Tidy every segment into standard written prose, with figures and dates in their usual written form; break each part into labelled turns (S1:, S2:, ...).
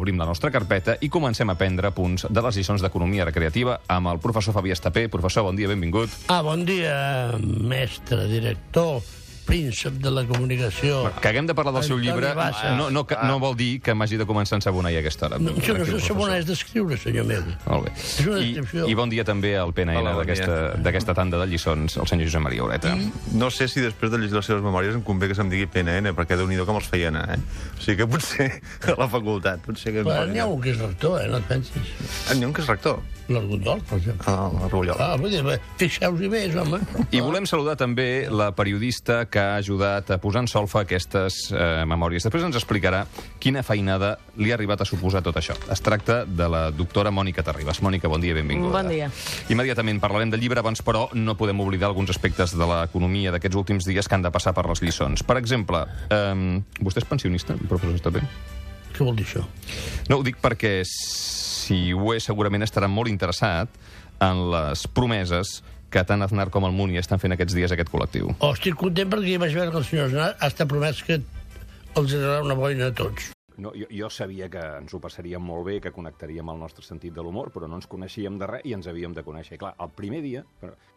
S1: Obrim la nostra carpeta i comencem a prendre punts de les lliçons d'economia recreativa amb el professor Fabià Estapé. Professor, bon dia, benvingut.
S2: Bon dia, mestre, director, príncep de la comunicació.
S1: Que haguem de parlar del seu llibre no vol dir que m'hagi de començar a ensabonar a aquesta hora.
S2: No, això no és ensabonar, és d'escriure, senyor meu.
S1: Molt bé.
S2: És una descripció.
S1: I bon dia també al PNN d'aquesta tanda de lliçons, el senyor Josep Maria Ureta.
S3: No sé si després de llegir les seves memòries em convé que se'm digui PNN, perquè Déu-n'hi-do com els feia anar, O sigui que potser a la facultat, potser que...
S2: Però n'hi ha un que és rector, no et pensis.
S3: N'hi ha un que és rector?
S2: L'Argondol, per exemple.
S3: L'Argondol.
S2: Fixeu-hi bé, home.
S1: I volem saludar també la periodista que ha ajudat a posar en solfa aquestes memòries. Després ens explicarà quina feinada li ha arribat a suposar tot això. Es tracta de la doctora Mònica Terribas. Mònica, bon dia, benvinguda.
S4: Bon dia.
S1: Immediatament parlarem del llibre, abans, però, no podem oblidar alguns aspectes de l'economia d'aquests últims dies que han de passar per les lliçons. Per exemple, vostè és pensionista, professor Estapé?
S2: Què vol dir això?
S1: No, ho dic perquè, si ho és, segurament estarà molt interessat en les promeses que tant Aznar com el Muni estan fent aquests dies a aquest col·lectiu.
S2: Estic content perquè vaig veure que el senyor Aznar ha estat promès que els donarà una boina a tots.
S1: No, jo sabia que ens ho passaríem molt bé, que connectaríem el nostre sentit de l'humor, però no ens coneixíem de res i ens havíem de conèixer. I clar, el primer dia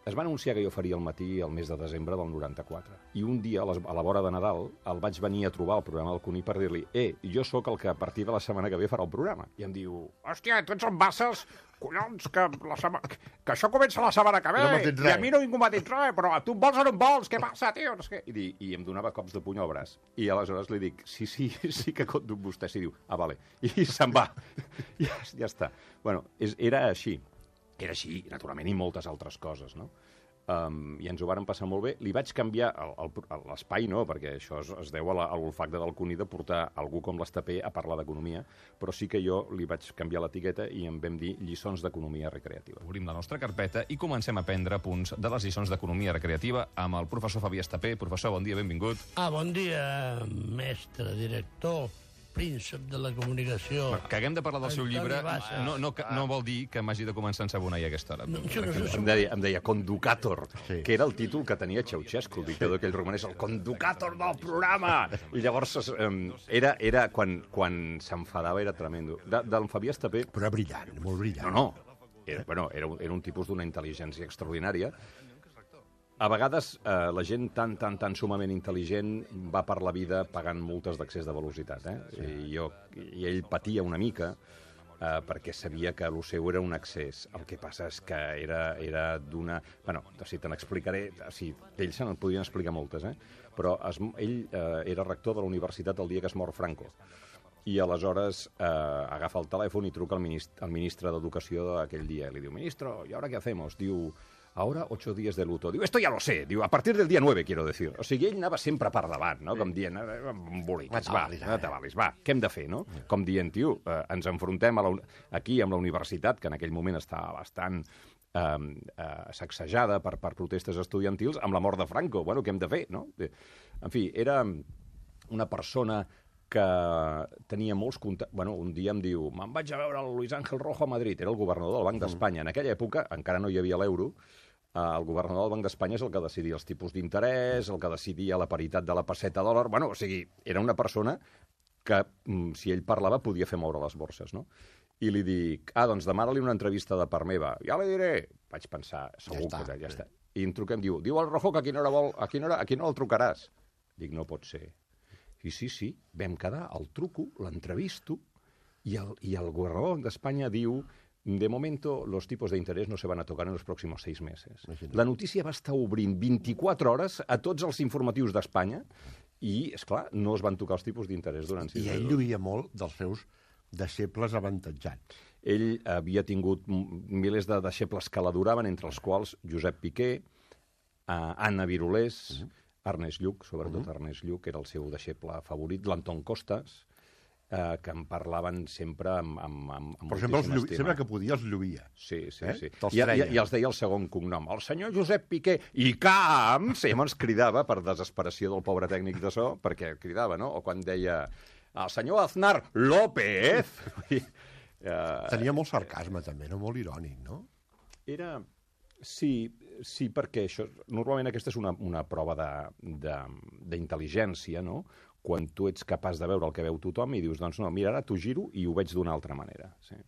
S1: es va anunciar que jo faria el matí el mes de desembre del 94. I un dia, a la vora de Nadal, el vaig venir a trobar al programa del Cuní per dir-li jo sóc el que a partir de la setmana que ve farà el programa. I em diu, hòstia, tu ets en Bassas, collons, que això comença la setmana que ve, i a mi no ningú m'ha dit res, però tu em vols o no em vols, què passa, tio? No sé què. I em donava cops de puny al braç. I aleshores li dic, sí que compto amb vostè. Sí, diu, vale. I se'n va. Ja està. Bueno, era així. Era així, naturalment, i moltes altres coses, no? I ens ho varen passar molt bé. Li vaig canviar l'espai, no, perquè això es deu a l'olfacte del Cuní de portar algú com l'Estapé a parlar d'economia, però sí que jo li vaig canviar l'etiqueta i en vam dir lliçons d'economia recreativa. Obrim la nostra carpeta i comencem a prendre punts de les lliçons d'economia recreativa amb el professor Fabià Estapé. Professor, bon dia, benvingut.
S2: Bon dia, mestre, director, príncep de la comunicació.
S1: Que haguem de parlar del seu llibre no vol dir que m'hagi de començar a ensabonar a aquesta hora. Em deia Conducator, que era el títol que tenia Ceausescu, el dictador aquell romanès, el Conducator del programa! I llavors era quan s'enfadava, era tremendo. Del Fabià Estapé...
S5: Però era brillant, molt brillant.
S1: No. Era un tipus d'una intel·ligència extraordinària. A vegades la gent tan sumament intel·ligent va per la vida pagant multes d'excés de velocitat. I ell patia una mica perquè sabia que el seu era un excés. El que passa és que era d'una... Bueno, si te n'explicaré... D'ell se n'en podien explicar moltes, però ell era rector de la universitat el dia que es mor Franco. I aleshores agafa el telèfon i truca al ministre d'Educació d'aquell dia. Li diu, ministro, ¿y ahora qué hacemos? Diu, ahora 8 días de luto. Diu, esto ya lo sé. Diu, a partir del dia 9, quiero decir. O sigui, ell anava sempre per davant, no? Com dient, embolics, va, no t'avalis, va, què hem de fer, no? Com dient, tio, ens enfrontem aquí amb la universitat, que en aquell moment estava bastant sacsejada per protestes estudiantils, amb la mort de Franco. Bueno, què hem de fer, no? En fi, era una persona que tenia molts contactes... Bueno, un dia em diu, me'n vaig a veure el Luis Ángel Rojo a Madrid, era el governador del Banc d'Espanya. En aquella època encara no hi havia l'euro, el governador del Banc d'Espanya és el que decidia els tipus d'interès, el que decidia la paritat de la pesseta dòlar... Bueno, o sigui, era una persona que, si ell parlava, podia fer moure les borses, no? I li dic, doncs demana-li una entrevista de part meva. Ja li diré. Vaig pensar, segur que ja està. I em truca, em diu al Rojo que a quina hora el trucaràs? Dic, no pot ser. Sí, vam quedar, el truco, l'entrevisto, y el gobernador de España diu, de momento los tipos de interés no se van a tocar en los próximos 6 meses. La notícia va estar obrint 24 hores a tots els informatius d'Espanya i, esclar, no es van tocar els tipus d'interès durant 6 mesos.
S5: I ell lluïa molt dels seus deixebles avantatjats.
S1: Ell havia tingut milers de deixebles que l'adoraven, entre els quals Josep Piqué, Anna Virulés, Ernest Lluch, sobretot Ernest Lluch, que era el seu deixeble favorit, l'Anton Costas, que em parlaven sempre amb moltíssima estima.
S5: Sempre que podia els lluïa.
S1: Sí. I els deia el segon cognom. El senyor Josep Piqué i Camps, i ens cridava per desesperació del pobre tècnic de so, perquè cridava, no? O quan deia el senyor Aznar López.
S5: Tenia molt sarcasme, també, no? Molt irònic, no?
S1: Era... Sí, perquè això, normalment aquesta és una prova d'intel·ligència, no? quan tu ets capaç de veure el que veu tothom i dius, doncs no, mira, ara t'ho giro i ho veig d'una altra manera. Sí.